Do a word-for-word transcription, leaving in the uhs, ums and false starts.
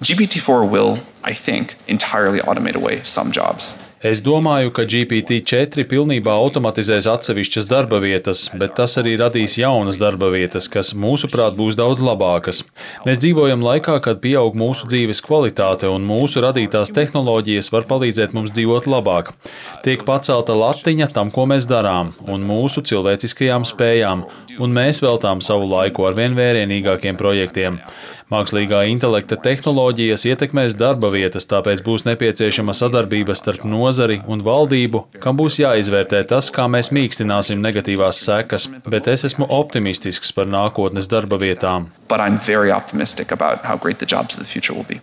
G P T four will, I think, entirely automate away some jobs. Es domāju, ka G P T četri pilnībā automatizēs atsevišķas darba vietas, bet tas arī radīs jaunas darba vietas, kas, mūsuprāt, būs daudz labākas. Mēs dzīvojam laikā, kad pieaug mūsu dzīves kvalitāte un mūsu radītās tehnoloģijas var palīdzēt mums dzīvot labāk. Tiek pacelta latiņa tam, ko mēs darām, un mūsu cilvēciskajām spējām, un mēs veltām savu laiku ar vien vērienīgākiem projektiem. Mākslīgā intelekta tehnoloģijas ietekmēs darba vietas, tāpēc būs nepieciešama sadarbība starp nozari un valdību, kam būs jāizvērtē tas, kā mēs mīkstināsim negatīvās sekas, bet es esmu optimistisks par nākotnes darba vietām. But I'm very optimistic about how great the jobs of the future will be.